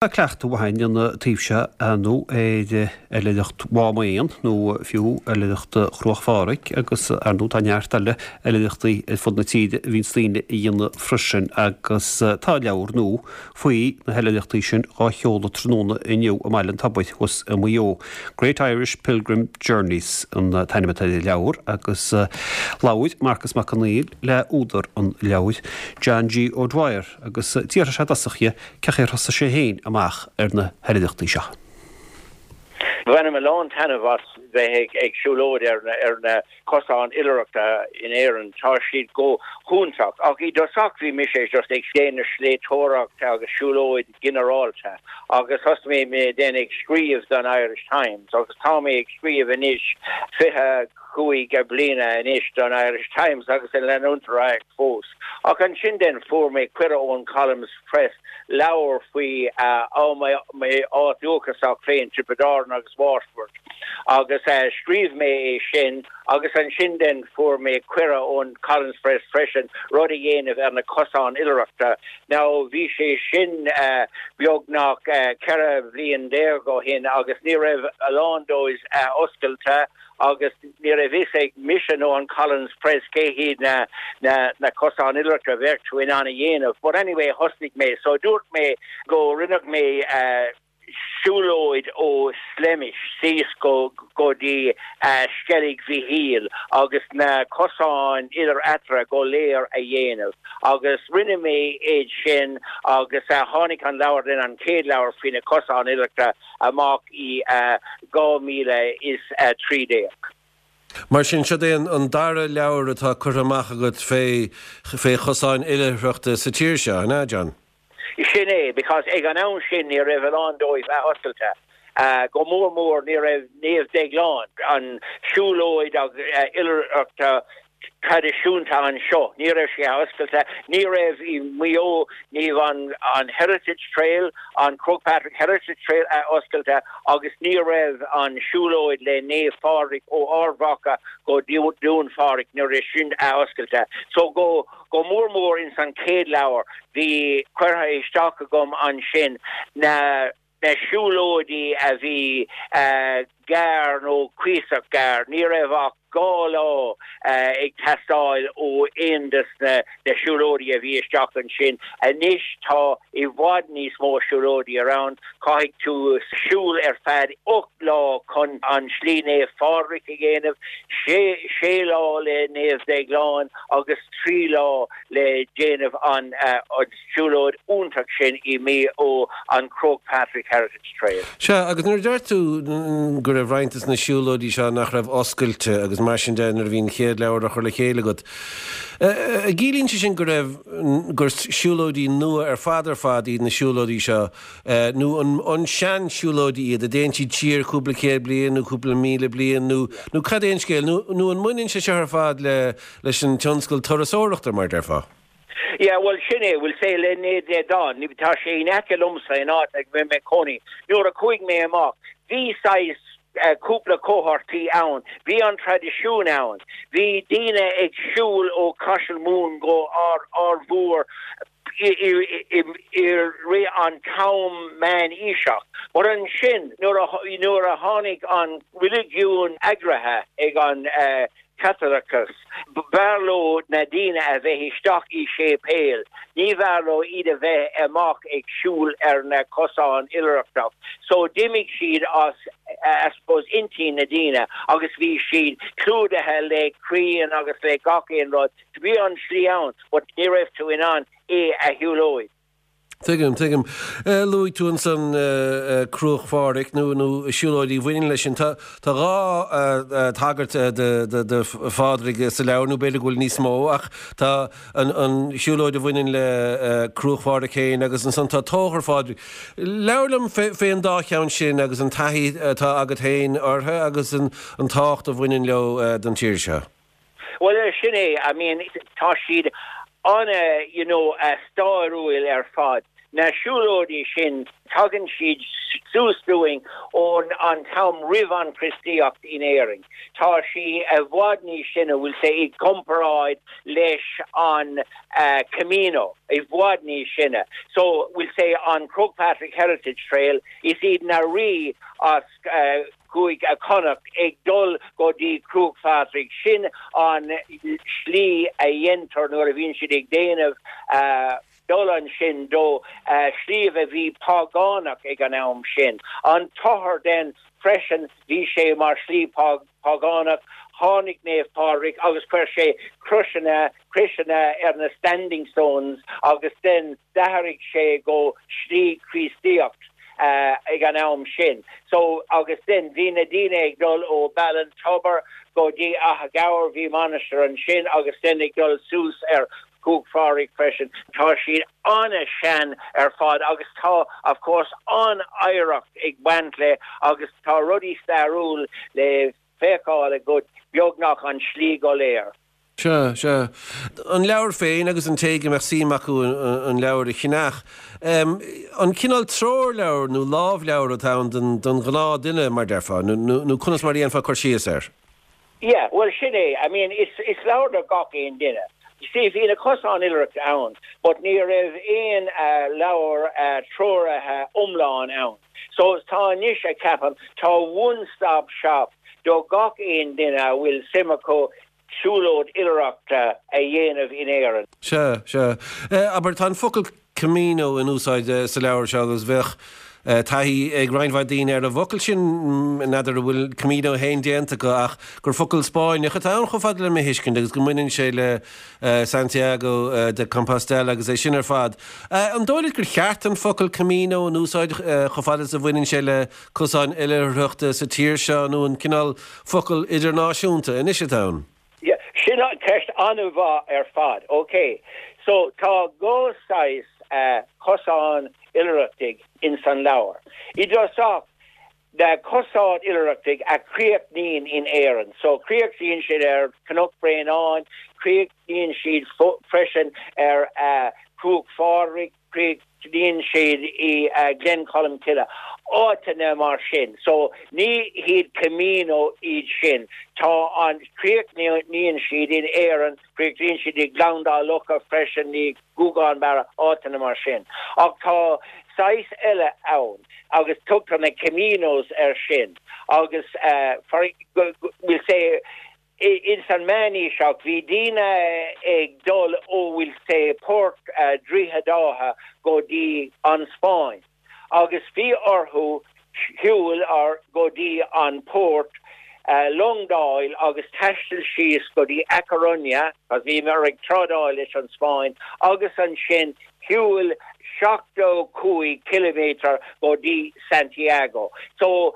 Tá cleachtadh mhaith againn an taobh seo, ar ndóigh, ar oilithreacht Mhám Éan nó fiú oilithreacht Chruach Phádraig agus ar ndóigh tá neart eile oilithreachtaí ar fud na tíre a bhíonns daoine a dhéanamh freisin agus tá leabhar nua faoi na hoilithreachtaí sin dhá sheoladh tráthnóna inniu i mBaile an Tobair thuas i Maigh Eo. Great Irish Pilgrim Journeys an t-ainm atá ar an leabhar agus labhair Marcus Mac Conghail le údar an leabhair, John G. O'Dwyer agus d'fhiafraigh sé i dtosach dhe Cén chaoi ar thosaigh sé féin amach ar na hoilithreachtaí seo? Bhainim a lán taitneamh as bheith ag siúlóid ar na cosáin oilithreachta in Éirinn. Tá siad go hiontach. Ach i dtosach bhí mise just ag déanamh sléibhteoireacht agus siúlóid ginearálta agus thosaigh mé then ag scríobh don Irish Times agus tá mé ag scríobh anois 25 bliana anois don Irish Times agus ag leanúint ar aghaidh fós. Ach ansin then fuair mé cuireadh ón Collins Press leabhar faoi m'áit dúchasach féin, Tiobraid Árann agus Waterford, agus scríobh mé é sin agus ansin then fuair mé cuireadh ón Collins Press freisin rud a dhéanamh ar na cosáin oilithreachta. Now bhí sé sin beagnach 14 bhliain ó shin agus ní raibh a lán dóibh oscailte agus ní raibh fhios ag mise nó an Collins Press cé hiad na na cosáin oilithreachta a bheadh tú in ann a dhéanamh. But anyway thosnaigh mé. So dúirt mé go rinneadh mé siúlóid ó Slemish síos go go dtí Sceilg Mhichíl agus na cosáin idir eatarthu go léir a dhéanamh. Agus rinne mé iad sin agus tháinig an leabhar then an chéad leabhar faoi na cosáin oilithreachta amach i 2013. Mar sin, siod é an dara leabhar atá curtha amach agat fé fé chosáin oilithreachta sa tír seo, an ea, John? Sin é, because ag an am sin ní raibh a lán dóibh athoscailte. Go mór mór ní raibh Naomh Déaglán, an siúlóid oilithreachta traidisiúnta anseo. Ní raibh sé athoscailte. Ní raibh i Maigh Eo, ní raibh an Heritage Trail, an Croagh Patrick Heritage Trail athoscailte agus ní raibh an siúlóid le Naomh Phádraig ó Ard Mhacha go Dún Phádraig, ní raibh sin athoscailte. So go go mór mór ins an chéad leabhar bhí curtha isteach agam ansin na na siúlóidí a bhí gearr nó cuíosach gearr. Ní raibh ach 2 lá ag teastáil ó aon des na siúlóidí a bhí isteach ansin. Anois tá i bhfad níos mó siúlóidí around. Caithfidh tú siúl ar feadh 8 lá chun an Slí Naomh Phádraig a dhéanamh, sé lá le Naomh Déaglán agus 3 lá le déanamh an siúlóid iontach sin i Maigh Eo, an Croagh Patrick Heritage Trail. Sea, agus nuair a deir tú go raibh roinnt des na siúlóidí seo nach raibh oscailte agus mar sin de nuair a bhí an chéad leabhar á chur le chéile agat, an gciallaíonn sé sin go raibh, gur siúlóidí nua ar fad ar fad iad na siúlóidí seo nó an sean-siúlóidí iad, a dtéann siad siar cúpla céad bliain nó cúpla míle bliain nó, nó cad é an scéal? Nó, nó an mbaineann sé seo ar fad le, leis an tionscal turasóireachta mar a déarfá? Yeah, bhuel sin é, we'll say le Naomh Déaglán, tá sé in aice liomsa in áit a bhfuil mé i mo chónaí. Nuair a chuaigh mé amach, bhí saghas cúpla comharthaí ann, bhí an traidisiún ann, bhí daoine ag siúl ó Caiseal Mumhan go Ard Mhór i rith an t-am meánaoiseach. But ansin nuair a tháinig an reiligiún eagraithe ag an Caitliceachas. B'fhearr leo na daoine a bheith isteach i séipéil, ní bhfearr leo iad a bheith amach ag siúl ar na cosáin oilithreachta. So d'imigh siad as, I suppose, intinn na daoine agus bhí siad clúdaithe le crainn agus le gach aon rud. Bhí an slí ann but ní raibh tú in ann é a shiúlóid. Tuigim, tuigim. Luaigh tú ansan Cruach Phádraig nó nó siúlóidí a bhaineann leis sin. Tá tá 2 tagairt do do Phádraig sa leabhar, nó b'fhéidir go bhfuil níos mó, ach tá an an siúlóid a bhaineann le Cruach Phádraig féin agus ansan tá Tóchar Phádraig. Labhair liom fé fé an dá cheann sin agus an taithí atá agat féin orthu agus an an tábhacht a bhaineann leo don tír seo. Bhuel, sin é, I mean, tá siad ana, you know, stairiúil ar fad. Na siúlóidí sin, tagann siad suas dúinn ón an t-am roimh an Chríostaíocht in Éirinn. Tá sí i bhfad níos sine, we'll say, i gcomparáid leis an Camino, i bhfad níos sine. So, we'll say, an Croagh Patrick Heritage Trail, is iad na rí as Cúige Chonnacht ag dul go dtí Cruach Phádraig, sin an slí a dhéantar nuair a bhíonn siad ag déanamh dul ansin do shliabh a bhí págánach ag an am sin. An Tochar then freisin, bhí sé mar shlí págánach, tháinig Naomh Pádraig agus chuir sé croiseanna, croiseanna ar na standing stones agus then d'athraigh sé go slí Chríostaíocht ag an am sin. So agus then bhí na daoine ag dul ó Ballintubber go dtí Achadh Gabhair, bhí mainistir ansin agus then ag dul suas ar Chruach Phádraig freisin. Tá siad an-sean ar fad agus tá of course an-oidhreacht ag baint le agus tá rudaí stairiúil le feiceáil agat beagnach an slí go léir. Sea, sea. An leabhar féin agus an té go mbeadh suim acu an leabhar a cheannach. An cineál treoirleabhar nó lámhleabhar atá ann don ghnáth-duine, mar déarfá, nó conas mar a dhéanfá cur síos air? Yeah, bhuel sin é, I mean is is leabhar do gach aon duine. You see bhí na cosáin oilithreachta ann but ní raibh aon leabhar treoraithe iomlán ann. So tá anois a ceapaim, tá one stop shop do gach aon duine a bhfuil suim acu siúlóid oilithreachta a dhéanamh in Éirinn. Sea, sea. Abair, tá an focal Camino in úsáid sa leabhar seo agus bheadh taithí ag roinnt mhaith daoine ar an bhfocal sin, n'fheadar an bhfuil Camino féin déanta acu ach gur focal Spáinneach atá ann chomh fada le mo thuiscint agus go mbaineann sé le Santiago de Compostela agus é sin ar fad. An dóigh leat gur cheart an focal Camino in úsáid chomh fada is a bhaineann sé le cosáin oilithreachta sa tír seo nó an cineál focal idirnáisiúnta anois atá ann? Yeah, sin ceist an-mhaith ar fad. Ok, so tá dhá saghas cosán oilithreachtaigh ins an leabhar. I dtosach, na cosáin oilithreachtaigh a chríochnaíonn in Éirinn. So críochnaíonn siad ar Cnoc Bréanainn, críochnaíonn siad freisin ar Chruach Phádraig, Críochnaíonn siad i Gleann Cholm Cille, áiteanna mar sin. So ní hiad Camino iad sin. Tá an, críochnaíonn siad in Éirinn, críochnaíonn siad i Gleann Dá Locha freisin, i Gougane Barra, áiteanna mar sin. Ach tá saghas eile ann agus tugtar na Caminos air sin agus for, we'll say, Ins an meánaoiseach bhí daoine ag dul ó we'll say port Droichead Átha go dtí an Spáinn agus bhí orthu shiúl go dtí an port, long d'fháil agus taisteal síos go dtí A Coruña, cos bhíomar ag trádáil leis an Spáinn, agus ansin shiúl 75 ciliméadar go dtí Santiago. So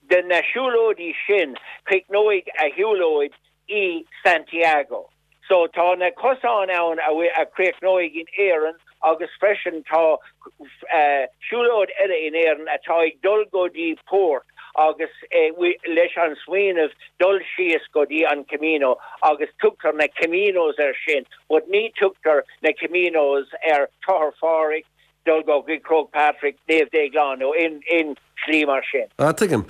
de na siúlóidí sin críochnóidh a shiúlóid i Santiago. So tá na cosáin ann a chríochnóidh in Éirinn agus freisin tá siúlóid eile in Éirinn atá ag dul go dtí port agus leis an smaoineamh dul síos go dtí an Camino agus tugtar na Caminos air sin but ní tugtar na Caminos ar Tochar Phádraig, dul go dtí Croagh Patrick, Naomh Déaglán nó aon slí mar sin. Ah, tuigim.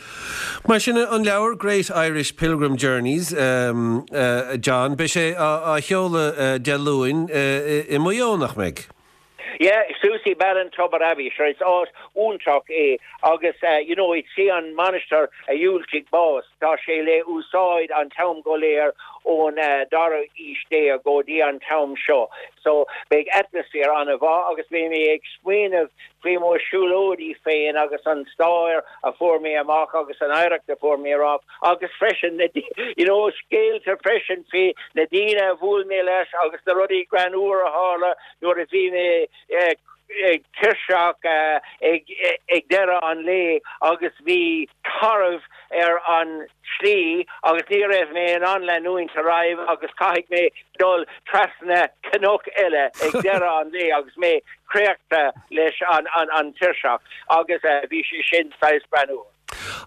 Mar sin, an leabhar Great Irish Pilgrim Journeys, a John, beidh sé á sheoladh Dé Luain i Maigh Eo, nach mbeidh? Yeah, suas i Ballintubber Abbey, sure is áit iontach é agus you know is í an mainistir a dhiúltaigh bás, tá sé le úsáid an t-am go léir ón dara aois déag go dtí an t-am seo. So beidh atmaisféar an-mhaith agus beidh mé ag smaoineamh faoi mo siúlóidí féin agus an stáir a fuair mé amach agus an oidhreacht a fuair mé amach agus freisin na you know scéalta freisin faoi na daoine a bhuail mé leis agus na rudaí greannmhar a tharla nuair a bhí mé tuirseach ag deireadh an lae agus bhí tarbh ar an tslí agus ní raibh mé in ann leanúint ar aghaidh agus caithfidh mé dul trasna cnoc eile ag deireadh an lae agus mé créachta leis an tuirseach agus bhí sé sin saghas greannmhar.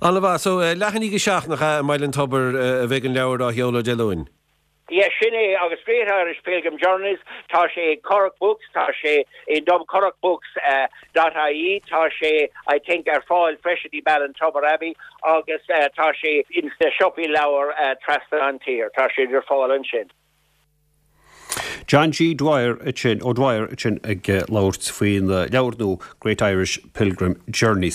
An-mhaith. So, leath i ndiaidh a 7 nach ea, i mBaile an Tobair a bheidh an leabhar á sheoladh Dé Luain? Yeah, sin é, agus Great Irish Pilgrim Journeys, tá sé i Currach Books, tá sé i dcurrachbooks dot ie, tá sé I think ar fáil freisin i Ballintubber Abbey agus tá sé ins na siopaí leabhar trasna an tír, tá sé ar fáil ansin. John G. Dwyer ansin, O'Dwyer ansin ag labhairt faoin leabhar nua Great Irish Pilgrim Journeys.